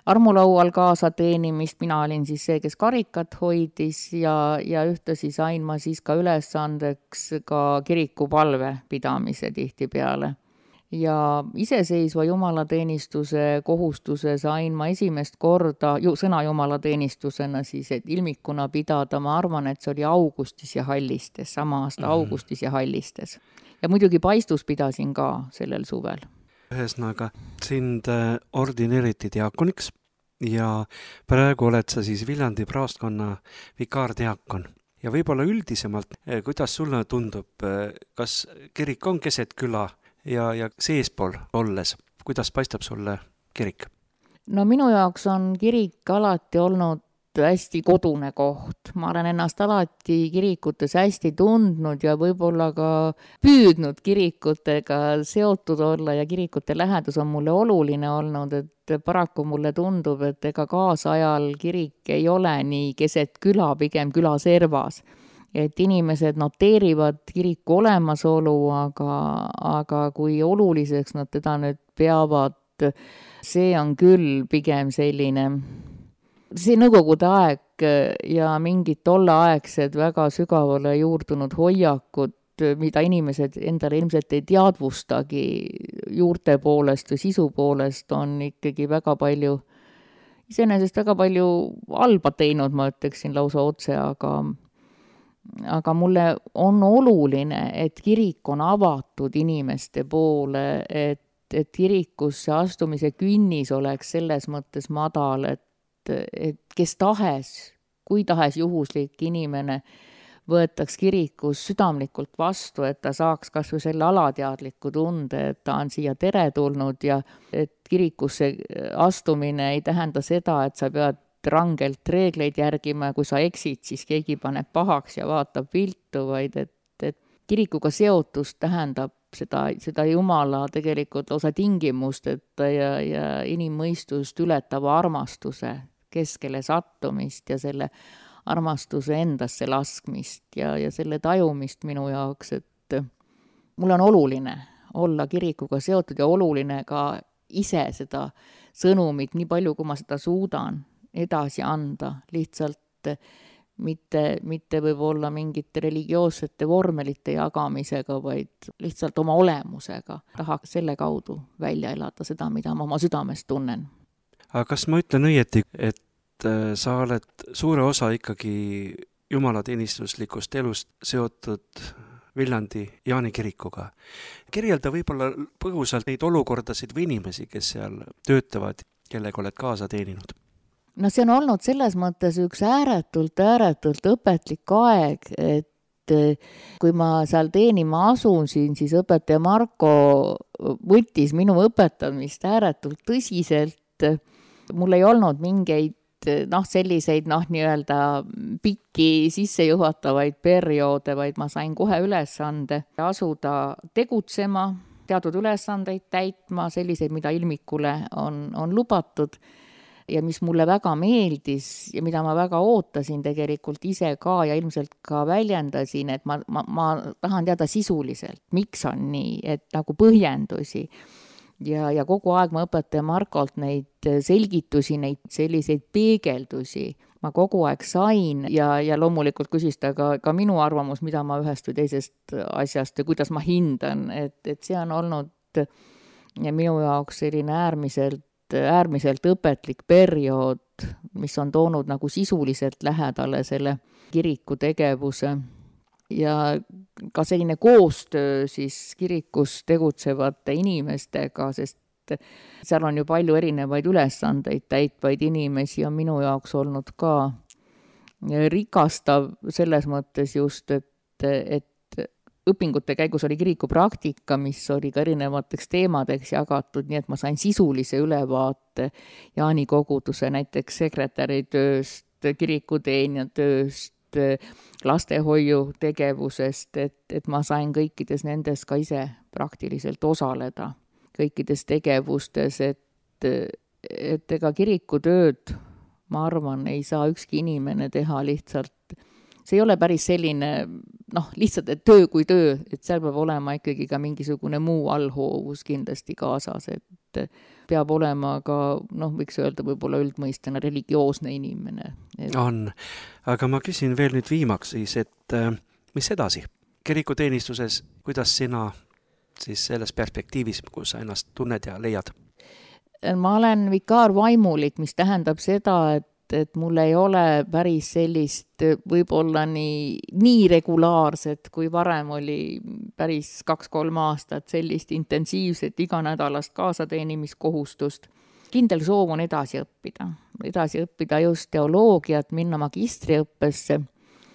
armulaual kaasa teenimist, mina olin siis see, kes karikat hoidis ja, ja ühtlasi sain ma siis ka ülesandeks ka kirikupalve pidamise tihti peale. Ja iseseisva jumalateenistuse kohustuse sain ma esimest korda ju, sõna jumalateenistusena siis, et ilmikuna pidada, ma arvan, et see oli augustis ja Hallistes, sama aasta mm-hmm. augustis ja Hallistes. Ja muidugi Paistus pidasin ka sellel suvel. Ühesõnaga, sind ordineeriti diakoniks ja praegu oled sa siis Viljandi praostkonna vikaardiakon. Ja võib-olla üldisemalt, kuidas sulle tundub, kas kirik on keset küla ja, ja seespool olles, kuidas paistab sulle kirik? No minu jaoks on kirik alati olnud hästi kodune koht. Ma olen ennast alati kirikutes hästi tundnud ja võib-olla ka püüdnud kirikutega seotud olla ja kirikute lähedus on mulle oluline olnud, et paraku mulle tundub, et ega kaasajal kirik ei ole nii keset küla, pigem küla servas. Et inimesed noteerivad kiriku olemasolu, aga, aga kui oluliseks nad teda nüüd peavad, see on küll pigem selline see nõukogude aeg ja mingid tolleaegsed väga sügavale juurdunud hoiakud, mida inimesed endale ilmselt ei teadvustagi juurte poolest või sisu poolest, on ikkagi väga palju, iseenesest väga palju halba teinud, ma ütleksin lausa otse, aga, aga mulle on oluline, et kirik on avatud inimeste poole, et, et kirikusse astumise künnis oleks selles mõttes madal, et et kes tahes, kui tahes juhuslik inimene võetaks kirikus südamlikult vastu, et ta saaks kas või selle alateadliku tunde, et ta on siia tere tulnud ja et kirikusse astumine ei tähenda seda, et sa pead rangelt reegleid järgima ja kui sa eksid, siis keegi paneb pahaks ja vaatab viltu, vaid et, et kirikuga seotus tähendab seda, seda Jumala tegelikult osa tingimust, et ja, ja inimmõistust ületava armastuse keskele sattumist ja selle armastuse endasse laskmist ja, ja selle tajumist minu jaoks, et mul on oluline olla kirikuga seotud ja oluline ka ise seda sõnumit, nii palju kui ma seda suudan edasi anda, lihtsalt mitte, mitte võib-olla mingite religioossete vormelite jagamisega, vaid lihtsalt oma olemusega. Tahaks selle kaudu välja elada seda, mida ma oma südames tunnen. Aga kas ma ütlen õieti, et sa oled suure osa ikkagi jumalateenistuslikust elust seotud Viljandi Jaani kirikuga? Kirjelda võib-olla põgusalt neid olukordasid või inimesi, kes seal töötavad, kellega oled kaasa teeninud? No see on olnud selles mõttes üks ääretult, ääretult õpetlik aeg, et kui ma seal teenima asusin, siis õpetaja Marko võttis minu õpetamist ääretult tõsiselt. Mul ei olnud mingeid noh, selliseid noh, nii-öelda pikki sissejuhatavaid perioode, vaid ma sain kohe ülesande asuda tegutsema, teatud ülesandeid täitma, selliseid, mida ilmikule on, on lubatud. Ja mis mulle väga meeldis ja mida ma väga ootasin tegelikult ise ka ja ilmselt ka väljendasin, et ma, ma, ma tahan teada sisuliselt, miks on nii, et nagu põhjendusi. Ja, ja kogu aeg ma õpetaja Markolt neid selgitusi, neid selliseid peegeldusi ma kogu aeg sain ja, ja loomulikult küsis ta ka, ka minu arvamus, mida ma ühest või teisest asjast ja kuidas ma hindan, et, et see on olnud ja minu jaoks selline äärmiselt äärmiselt õpetlik periood, mis on toonud nagu sisuliselt lähedale selle kiriku tegevuse ja ka selline koostöö siis kirikus tegutsevate inimestega, sest seal on ju palju erinevaid ülesandeid täitvaid inimesi ja minu jaoks olnud ka rikastav selles mõttes just, et, et õpingute käigus oli kirikupraktika, mis oli ka erinevateks teemadeks jagatud, nii et ma sain sisulise ülevaate Jaani koguduse näiteks sekretäri tööst, kirikuteenija tööst, lastehoiu tegevusest, et, et ma sain kõikides nendes ka ise praktiliselt osaleda, kõikides tegevustes, et, et ega kirikutööd, ma arvan, ei saa ükski inimene teha lihtsalt. See ei ole päris selline, noh, lihtsalt et töö kui töö, et seal peab olema ikkagi ka mingisugune muu allhoovus kindlasti kaasas, et peab olema ka, noh, võiks öelda võib-olla üldmõistena religioosne inimene. Et... On, aga ma küsin veel nüüd viimaks siis, et mis edasi? Kirikuteenistuses, kuidas sina siis selles perspektiivis, kus sa ennast tunned ja leiad? Ma olen vikaarvaimulik, mis tähendab seda, et et mul ei ole päris sellist võib-olla nii, nii regulaarset, kui varem oli päris kaks-kolm aastat sellist intensiivset iganädalast kaasateenimiskohustust. Kindel soov on edasi õppida, edasi õppida just teoloogiat, minna magistriõppesse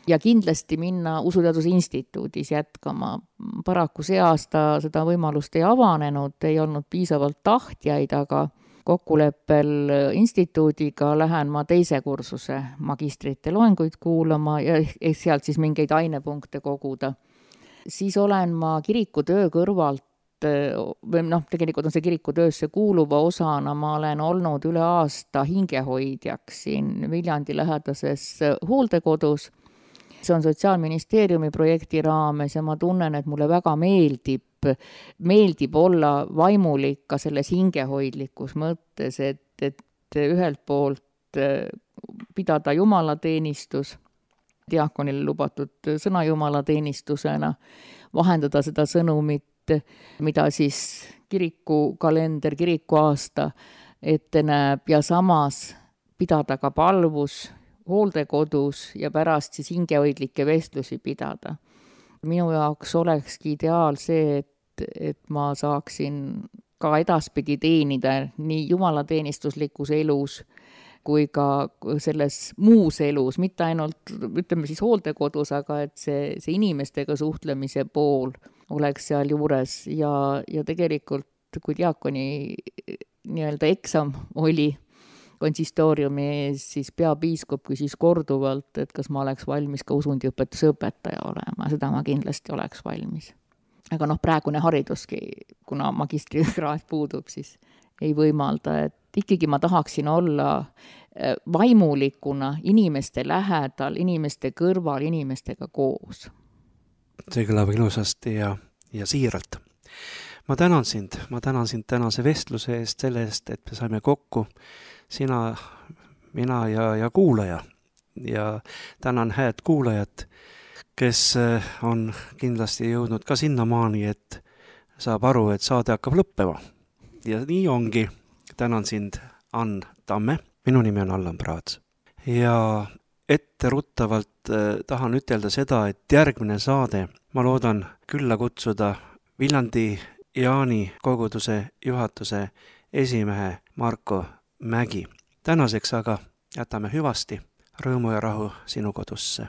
ja kindlasti minna Usuteaduse Instituudis jätkama. Paraku see aasta seda võimalust ei avanenud, ei olnud piisavalt tahtjaid, aga kokkuleppel instituudiga lähen ma teise kursuse magistrite loenguid kuulama ja sealt siis mingeid ainepunkte koguda. Siis olen ma kirikutöö kõrvalt, või noh, tegelikult on see kirikutöösse kuuluva osana, ma olen olnud üle aasta hingehoidjaks siin Viljandi lähedases hooldekodus. See on Sotsiaalministeeriumi projekti raames ja ma tunnen, et mulle väga meeldib meeldib olla vaimulik ka selles hingehoidlikus mõttes, et, et ühelt poolt pidada jumalateenistus, diakonile lubatud sõna jumalateenistusena, vahendada seda sõnumit, mida siis kirikukalender, kirikuaasta ette näeb ja samas pidada ka palvus hooldekodus ja pärast siis hingehoidlikke vestlusi pidada. Minu jaoks olekski ideaal see, et et ma saaksin ka edaspidi teenida nii jumalateenistuslikus elus kui ka selles muus elus, mitte ainult, ütleme siis hooldekodus, aga et see, see inimestega suhtlemise pool oleks seal juures ja, ja tegelikult, kui diakoni nii-öelda eksam oli konsistooriumi ees, siis peapiiskop küsis korduvalt, et kas ma oleks valmis ka usundiõpetuse õpetaja olema, seda ma kindlasti oleks valmis. Aga noh, praegune hariduski, kuna magistrikraad puudub, siis ei võimalda, et ikkagi ma tahaksin olla vaimulikuna inimeste lähedal, inimeste kõrval, inimestega koos. See kõlab ilusasti ja, ja siiralt. Ma tänan sind, ma tänan sind tänase vestluse eest, selle eest, et me saime kokku, sina, mina ja, ja kuulaja. ja tänan hääd kuulajat, kes on kindlasti jõudnud ka sinnamaani, et saab aru, et saade hakkab lõppema. Ja nii ongi. Tänan sind, Ann Tamme. Minu nimi on Allan Praats. Ja etteruttavalt eh, tahan ütelda seda, et järgmine saade ma loodan külla kutsuda Viljandi Jaani koguduse juhatuse esimehe Marko Mägi. Tänaseks aga jätame hüvasti, rõõmu ja rahu sinu kodusse.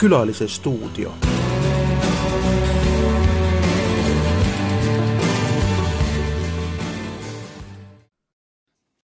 Külalise stuudio.